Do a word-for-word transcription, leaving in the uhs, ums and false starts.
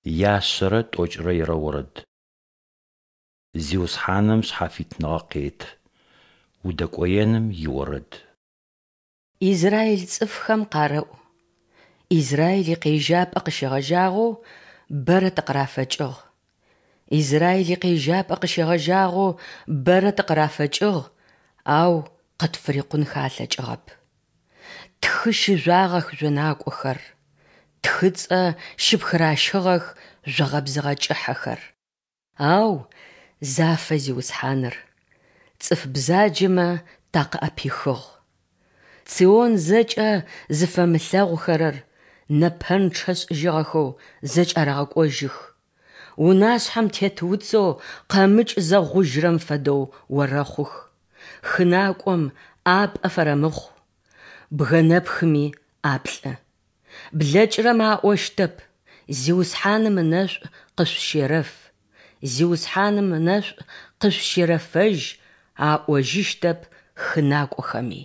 Яшъэрэ тӏокӏрэ ирэ орэд. Зиусхьаным шъхьафитныгъэ къеты. Удэкӏоеным иорэд. Израиль цӏыфхэм къарэӏу: Израиль икъежьапӏэ къыщегъэжьагъэу бэрэ тыкъырафэкӏыгъ. Израиль икъежьапӏэ къыщегъэжьагъэу бэрэ тыкъырафэкӏыгъ, ау къытфырикъунхэ алъэкӏыгъэп. Тхы щыжъуагъэх жъонакӏохэр, тхыцӏэ щыпхыращыгъэх жъогъэбзыгъэ кӏыхьэхэр. Ау зафэ Зиусхьаныр, цӏыф бзаджэмэ такъыӏэпихыгъ. Цион зэкӏэ зыфэмылъэгъухэрэр нэпэнчъэ шӏыжьыгъэхэу зэкӏарэгъэкӏожьых, унашъхьэм тет уцэу къэмыкӏзэ гъужьырэм фэдэу орэхъух, хы накӏом ӏапӏэ фэрэмыхъу, бгъэнэпхыми ӏаплӏы. Блэкӏырэмэ аӏощтэп: Зиусхьаным ынэшӏу къышъущерэф, Зиусхьаным ынэшӏу къышъущерэфэжь аӏожьыщтэп хы накӏохэми.